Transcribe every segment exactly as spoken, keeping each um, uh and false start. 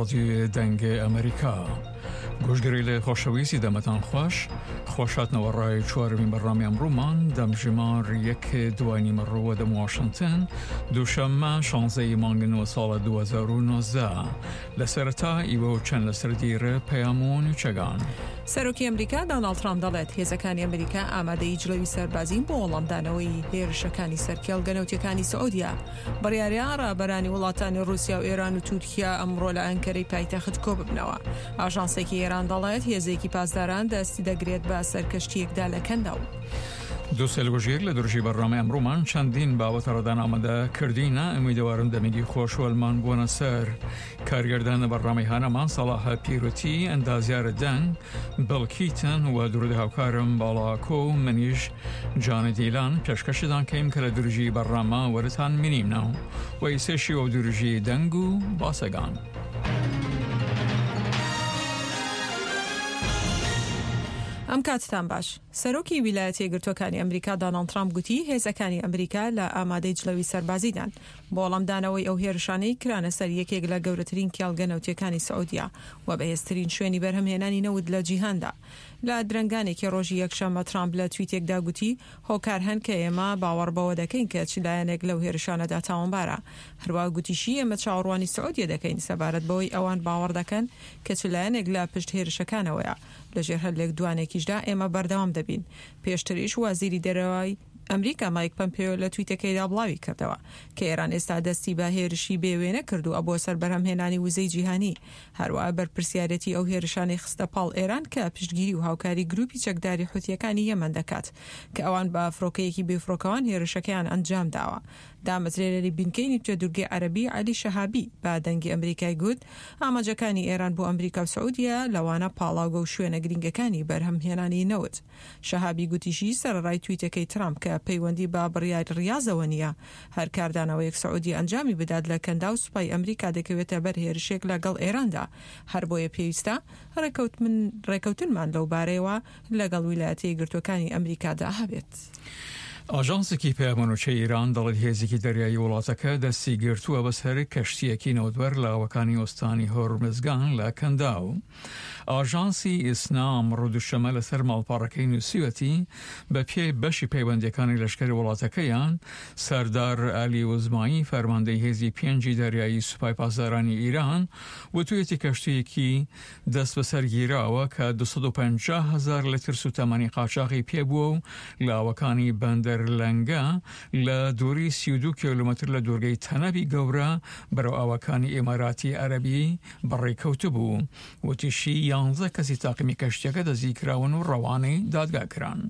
ڕادیۆ دەنگ ئەمریکا. گوشگەری خۆشەویستی دەمەتان خوش خوش هاتنەوە ڕای چوارەمین بەرنامەی ئەمڕۆمان دەمژمار یەک دوای نیمەڕۆوە دەم واشنگتن دووشەممە شانزەی مانگ نۆ ساڵە دوو هەزار و نۆزدە. لە سەرەتا ئیوە و چەند لەسەر دیرە پەیام و نوچەگان. سەرۆکی ئەمریکا دۆناڵد ترامپ دەڵێت هێزەکانی ئەمریکا ئامادەی جڵەوی سەربازین بۆ وەڵامدانەوەی هێرشەکانی سەر کێڵگە نەوتیەکانی سعودیا. بڕیارە ڕابەرانی وڵاتانی ڕوسیا و ئێران و تورکیا ئەمڕۆ لە ئەنکەرەی پایتەخت کۆببنەوە. ئاژانسێکی ئێران دەڵێت هێزێکی پاسداران دەستی دەگرێت بە سەرکەشتیەکدا لە کەنداو. دووسێل گوژیر لە درژی بەرنامەی ئەمڕۆمان چەندین باوەتە ڕەدان ئامادە کردینە. ئومیدەوارم دەمێکی خۆشوەلمان بووەنە سەر. کارگردانە بەرنامەی هانەمان سەڵاح پیرۆتی، ئەندازیارە دەنگ بڵکیتن و درود هاوکارم باڵاکۆ و منیش جانە دیلان پێشکەشتان کەیم کە لە درژی بەرنامە وەرتان منیمنەوە و ئیسێشی و درژی دەنگ و باسەگان. ئەم کاتتان باش. سەرۆکی ویلایەتە یەکگرتووەکانی ئەمریکا دۆناڵد ترامپ گوتی هێزەکانی ئەمریکا لە ئامادەی جڵەوی سەربازیدان بۆ وەڵامدانەوەی ئەو هێرشانەی کرانە سەر یەکێک لە گەورەترین کێڵگە نەوتیەکانی سعودیا و بەهێزترین شوێنی بەرهەمهێنانی نەوت لە جیهاندا. لە درەنگانێکی ڕۆژی یەکشەممە ترامپ لە تویتێکدا گوتی هۆکار هەن کە ئێمە باوەڕ بەوە دەکەین کە چ لایەنێک لەو هێرشانەدا تاوانبارە. هەروەها گوتیشی ئێمە چاوەڕوانی سعودیە دەکەین سەبارەت بەوەی ئەوان باوەڕ دەکەن کە چ لایەنێک لە پشت هێرشەکانەوەیە. لەژێر هەر لێکدوانێکیشدا ئێمە بەردەوام دەبین. پێشتریش وەزیری دەرەوەی ئەمریکا مایک پەمپیۆ لە تویتەکەیدا بڵاوی کردەوە کە ئێران ئێستا دەستی بە هێرشی بێوێنە کردووە بۆ سەر بەرهەمهێنانی وزەی جیهانی. هەروەها بەرپرسیارەتی ئەو هێرشانەی خستە پاڵ ئێران کە پشتگیری و هاوکاری گروپی چەکداری حوتیەکانی یەمەن دەکات کە ئەوان بە فڕۆکەیەکی بێفڕۆکەوان هێرشەکەیان ئەنجام داوە. دامەزرێنەری بنکەی نیمچە دوورگەی عەرەبی عەلی شەهابی بە دەنگی ئەمریکای گوت ئاماجەکانی ئێران بۆ ئەمریکا و سعودیە لەوانە پاڵاوگە و شوێنە گرنگەکانی بەرهەمهێنانی نەوت. شەهابی گوتیشی سەرەڕای تویتەکەی ترامپ کە پەیوەندی بە بڕیاری ڕیازەوە نییە، هەر کاردانەوەیەک سعودی ئەنجامی بدات لە کەنداو سوپای ئەمریکا دەکەوێتە بەر هێرشێک لەگەڵ ئێراندا. هەر بۆیە پێویستە ڕێکەوتنمان لەو بارەیەوە لەگەڵ ویلایەتە یەکگرتووەکانی ئەمریکادا هەبێت. ئاژانسێکی پەیامنوچەی ئێران دەڵێت هێزێکی دەریایی وڵاتەکە دەستی گرتووە بەسەر کەشتیەکی نەوتبەر لە ئاوەکانی ئۆستانی هۆرمزگان لە کەنداو. ئاژانسی ئیسنا ئەمڕۆ دووشەممە لەسەر ماڵپەڕەکەی نووسیوەتی بە پێی بەشی پەیوەندیەکانی لەشکری وڵاتەکەیان سەردار عەلی وزمایی فەرماندەی هێزی پێنجی دەریایی سوپای پاسدارانی ئیران وتویەتی کەشتیەکی دەست بەسەر گیراوە کە دوو سەد و پەنجا هەزار لتر سوتەمەنی قاچاغی پێبووە و لە ئاوەکانی بەندەر لەنگە لە دووری سی و دوو کیلۆمەتر لە دوورگەی تەنەبی گەورە بەرەو ئاوەکانی ئیماراتی عەرەبی بەڕێکەوتبوو. وتیشی یانزە کەسی تاقیمی کەشتیەکە دەستگیرکراون و ڕەوانەی دادگا کران.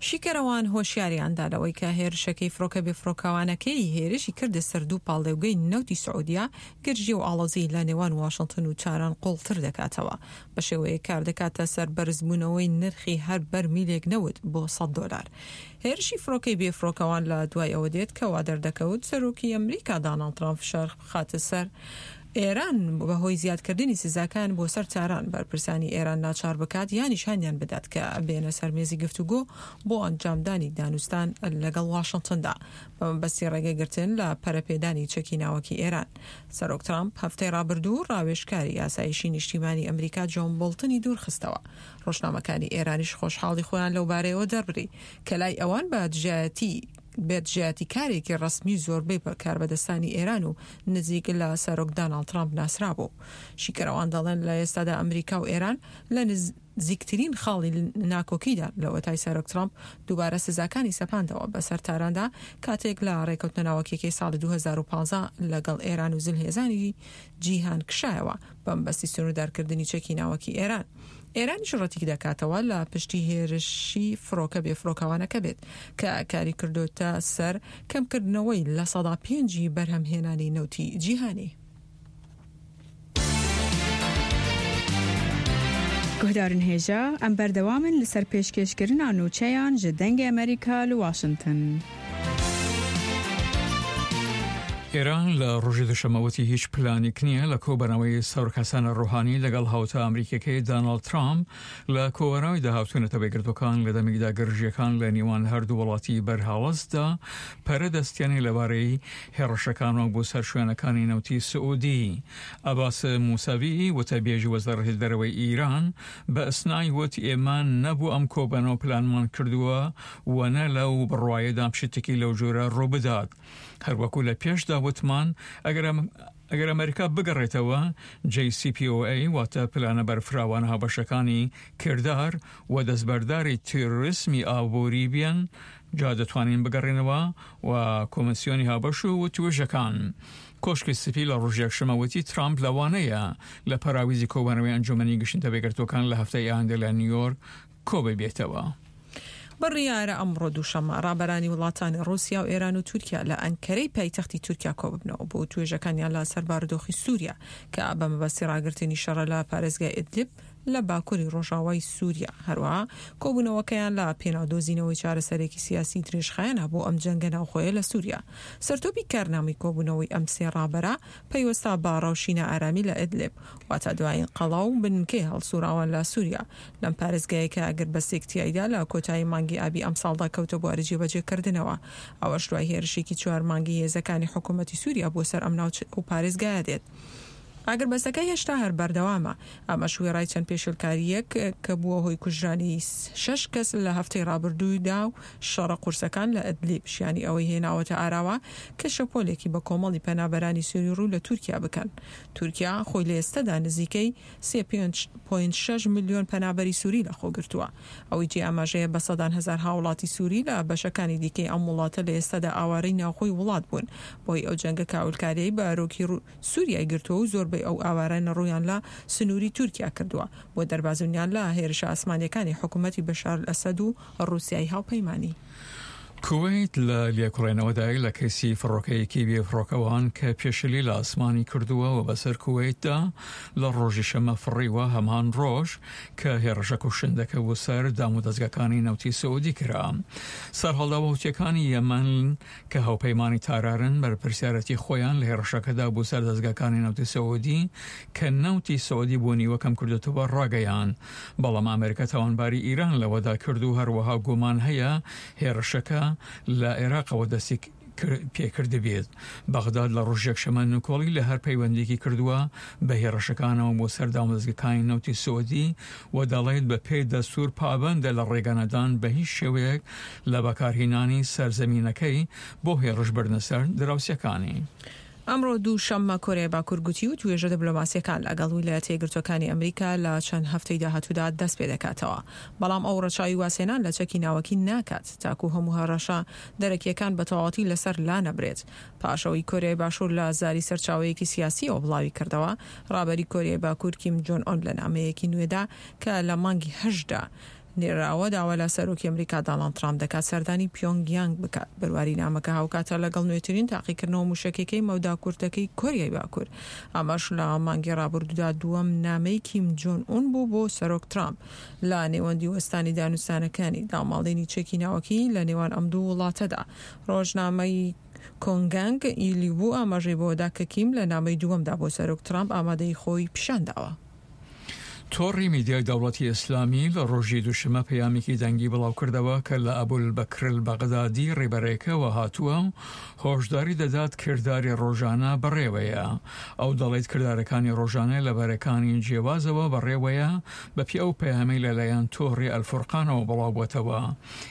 شیکەرەوان هۆشیاریاندا لەوەی کە هێرشەکەی فڕۆکە بێفڕۆکەوانەکەی هێرشی کردە سەر دوو پاڵێوگەی نەوتی سعودیا گرژی و ئاڵۆزی لە نێوان واشنگتن و تاران قوڵتر دەکاتەوە. بە شێوەیەک کار دەکاتە سەر بەرزبوونەوەی نرخی هەر بەرمیلێک نەوت بۆ سەد دۆلار. هێرشی فڕۆکەی بێفڕۆکەوان لە دوای ئەوە دێت کە وا دەردەکەوت سەرۆکی ئەمریکا دۆناڵد ترامپ فشار بخاتە سەر ئێران بەهۆی زیادکردنی سزاکان بۆ سەر تاران بەرپرسانی ئێران ناچار بکات یانیش هانیان بدات کە بێنە سەر مێزی گفتوگۆ بۆ ئەنجامدانی دانوستان لەگەڵ واشنگتندا بە مەبەستی ڕێگەگرتن لە پەرەپێدانی چەکی ناوەکی ئێران. سەرۆک ترامپ هەفتەی ڕابردوو ڕاوێژکاری ئاسایشی نیشتیمانی ئەمریکا جۆن بۆڵتنی دوورخستەوە. ڕۆژنامەکانی ئێرانیش خۆشحاڵی خۆیان لەو بارەیەوە دەربڕی کە لای ئەوان بە دژایەتی بێدژایەتی کارێکی ڕەسمی زۆربەی کاربەدەستانی ئێران و نزیک لە سەرۆک دۆناڵد ترامپ ناسرابوو. شیکەرەوان دەڵێن لە ئێستادا ئەمریکا و ئێران لە نزیکترین خاڵی ناکۆکیدا لەوەتای سەرۆک ترامپ دووبارە سزاکانی سەپاندەوە بەسەر تاراندا کاتێک لە ڕێکەوتنە ناوەکیەکەی ساڵی دوو هەزار و پازدە لەگەڵ ئێران و زلهێزانی جیهان کشایەوە بەمبەستی سنووردارکردنی چەکی ناوەکی ئێران. ئێرانیش ڕەتیک دەکاتەوە لە پشتی هێرشی فڕۆکە بێفڕۆکەوانەکە بێت کە کاری کردوتە سەر کەمکردنەوەی لە سەدا پێنجی بەرهەمهێنانی نەوتی جیهانی. گوهدارن هێژا ئەم بەردەوامن لەسەر پێشکێشکردنا نوچەیان ji دەنگê ئەمریکا لە واشنگتن. ئێران لە ڕۆژی دووشەممە وتی هیچ پلانێک نییە لە کۆبەنەوەی سەرۆک حەسەن ڕۆحانی لەگەڵ هاوتا ئەمریکیەکەی داناڵد ترامپ لە کۆبەنەوەی داهاتوو نەتەوە یەکگرتووەکان لە دەمێکدا گرژیەکان لە نێوان هەردوو وڵاتی بەرهەڵستدا پەرە دەستێنێ لەبارەی هێڕشەکانەوە بۆ سەر شوێنەکانی نەوتی سعودی. عەباس موسەوی وتەبێژی وەزارەتی دەرەوەی ئیران بە ئیسنای وت ئێمە نەبوو ئەم کۆبەنەوە پلانمان کردووە و نە لەو بڕوایەدام شتێکی لەو جۆرە ڕووبدات. هەروەکو لە پێشدا وتمان ئەگەر ئەگەر ئەمریکا بگەڕێتەوە J C P O A واتە پلانە بەرفراوانە هاوبەشەکانی کردار و دەستبەرداری تیرۆریسمی ئابووری بێن جا دەتوانین بگەڕێنەوە و کۆمسیۆنی هاوبەش و وتوێژەکان. کۆشکی سپی لە ڕۆژی یەکشەممە وتی ترامپ لەوانەیە لە پەراویزی کۆبانەوەی ئەنجومەنی گشتی نەتەوە یەکگرتووەکان لە هەفتەی ئایندە لە نیویۆرک کۆببێتەوە. بڕیارە ئەمڕۆ دووشەممە ڕابەرانی وڵاتانی ڕووسیا و ئێران و تورکیا لە ئەنکەرەی پایتەختی تورکیا کۆببنەوە بۆ توێژەکانیان لە سەر بارودۆخی سووریا کە بە مەبەستی ڕاگرتنی شەڕە لە پارێزگای ئیدلیب لە باکووری ڕۆژاوای سووریا. هەروەها کۆبوونەوەکەیان لە پێناو دۆزینەوەی چارەسەرێکی سیاسی درێژخایەنە بۆ ئەم جەنگە ناوخۆیە لە سووریا. سەرتۆپی کارنامەی کۆبوونەوەی ئەم سێ ڕابەرە پەیوەستە بە ڕەوشی نائارامی لە ئیدلیب، واتە دوایین قەڵا و بنکەی هەڵسوڕاوان لە سووریا لەم پارێزگایە کە ئاگربەستێک تیایدا لە کۆتایی مانگی ئابی ئەمساڵدا کەوتە بواری جێبەجێکردنەوە، ئەوەش دوای هێرشێکی چوار مانگی هێزەکانی حکوومەتی سووریا بۆ سەر ئەم ناوچە و پارێزگایە دێت. ئاگربەستەکە هێشتا هەر بەردەوامە، ئەمەش وێڕای چەند پێشێلکارییەک کە بووە هۆی کوژرانی شەش کەس لە هەفتەی ڕابردوودا و شەڕە قورسەکان لە ئەدلیب شیانی ئەوەی هێناوەتە ئاراوە کە شەپۆلێکی بە کۆمەڵی پەنابەرانی سووری ڕوو لە تورکیا بکەن. تورکیا خۆی لە ئێستەدا نزیکەی سێ پۆینت شەش ملیۆن پەنابەری سووری لەخۆگرتووە. ئەوەی جێی ئاماژەیە بە سەدان هەزار هاوڵاتی سووری لە بەشەکانی دیکەی ئەم وڵاتە لە ئێستەدا ئاوارەی ناوخۆی وڵات بوون بەهۆی ئەو جەنگە کاولکارییەی بەرۆکی سووریای گرتووە و زۆربەی ئەو ئاوارانە ڕوویان لە سنووری تورکیا کردووە بۆ دەربازبوونیان لە هێرشە ئاسمانییەکانی حکوومەتی بەشار ئەسەد و ڕووسیای هاوپەیمانی. کوەیت لە لێکۆڵینەوەدایە لە کەیسی فڕۆکەیەکی بێفڕۆکەوان کە پێشلی لە ئاسمانی کردووە و بەسەر کوەیتدا لە ڕۆژی شەمە فڕیوە، هەمان ڕۆژ کە هێڕشە کوشندەکە بۆ سەر دامودەزگاکانی نەوتی سعودی کرا. سەرهەڵداوە حوتیەکانی یەمەن کە هاوپەیمانی تارارن بەرپرسیارەتی خۆیان لە هێڕشەکەدا بۆ سەر دەزگاکانی نەوتی سعودی کە نەوتی سعودی بۆ نیوە کەم کردێتەوە ڕاگەیان، بەڵام ئەمریکا تاوانباری ئیران لەوەدا کرد و هەروەها گومان هەیە هێڕشەکە لە عێراقەوە دەستی پێکردبێت. بەغداد لە ڕۆژ یەکشەممە نکۆڵی لە هەر پەیوەندێکی کردووە بە هێڕشەکانەوە بۆ سەر دامودەزگەکانی نەوتی سعودی و دەڵێت بە پێی دەستور پابەندە لە ڕێگانەدان بە هیچ شێوەیەک لە بەکارهێنانی سەرزەمینەکەی بۆ هێڕش بردنە سەر دراوسێکانی. ئەمڕۆ دوو شەممە کۆریای باکوور گوتی و توێژە دیبلۆماسیەکان لەگەڵ ویلایەتە یەکگرتووەکانی ئەمریکا لە چەند هەفتەی داهاتوودا دەست پێدەکاتەوە، بەڵام ئەو ڕەچاوی وازهێنان لە چەکی ناوەکی ناکات تاکو هەموو هەڕەشە دەرەکیەکان بە تەواوەتی لەسەر لانەبرێت. پاش ئەوەی کۆریای باشوور لە زاری سەرچاوەیەکی سیاسیەوە بڵاوی کردەوە، ڕابەری کۆریای باکوور کیم جۆن ئۆن لە نامەیەکی نوێدا کە لە مانگی هەشتدا نێراوە داوا لە سەرۆکی ئەمریکا داناڵد ترامپ دەکات سەردانی پیۆنگ یانگ بکات. بەرواری نامەکە هاوکاتە لەگەڵ نوێترین تاقیکردنەوە موشەکیەکەی مەودا کورتەکەی کۆریای باکوور. ئەمەش لە مانگی ڕابردوودا دووەم نامەی کیم جۆن ئون بوو بۆ سەرۆک ترامپ لە نێوەندی وەستانی دانوستانەکانی داماڵینی چەکی ناوەکی لە نێوان ئەم دوو وڵاتەدا. ڕۆژنامەی کۆنگانگ ئیلیبو ئاماژەی بەوەدا کە کیم لە نامەی دووەمدا بۆ سەرۆک ترامپ ئامادەیی خۆی پیشانداوە. تۆڕی میدیای دەوڵەتی ئیسلامی لە ڕۆژی دووشەممە پەیامێکی دەنگی بڵاوکردەوە کە لە ئەبولبەکر البەغدادی ڕێبەرێکەوە هاتووە و هۆشداری دەدات کرداری ڕۆژانە بەڕێوەیە. ئەو دەڵێت کردارەکانی ڕۆژانە لە بەرەکانی جیاوازەوە بەڕێوەیە بەپێی ئەو پەیامەی لەلایەن تۆڕی ئەلفورقانەوە بڵاوبووەتەوە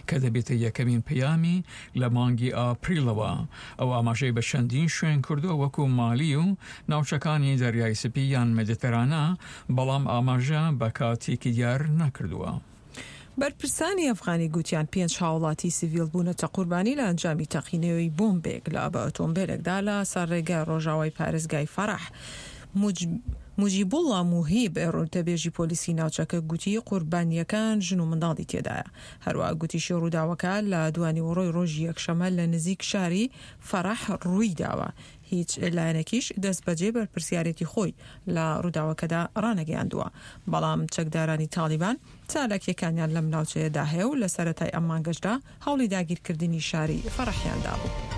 کە دەبێتە یەکەمین پەیامی لە مانگی ئاپریلەوە. ئەو ئاماژەی بە چەندین شوێن کردووە وەکو مالی و ناوچەکانی دەریای سپی یان مێدیترانە، بەڵام ئاماژە بە کاتێکی دیار نەکردووە. بەرپرسانی ئەفغانی گوتیان پێنج هاوڵاتی سیڤیل بوونەتە قوربانی لە ئەنجامی تەقینەوەی بۆمبێک لە بە ئۆتۆمبیلێکدا لە سەر ڕێگای ڕۆژاوای پارێزگای فەرەح. موجیبوڵڵا موهیب وتەبێژی پۆلیسی ناوچەکە گوتی قوربانیەکان ژن و منداڵی تێدایە. هەروەها گوتیشی ڕووداوەکە لە دوانیوەڕۆی ڕۆژی یەکشەممە لە نزیک شاری فەرەح ڕووی داوە. هیچ لایەنێکیش دەستبەجێ بەرپرسیارێتی خۆی لە ڕووداوەکەدا ڕانەگەیاندووە، بەڵام چەکدارانی تاڵیبان چالاکیەکانیان لەم ناوچەیەدا هەیە و لە سەرەتای ئەم مانگەشدا هەوڵی داگیرکردنی شاری فەرەحیان دابوو.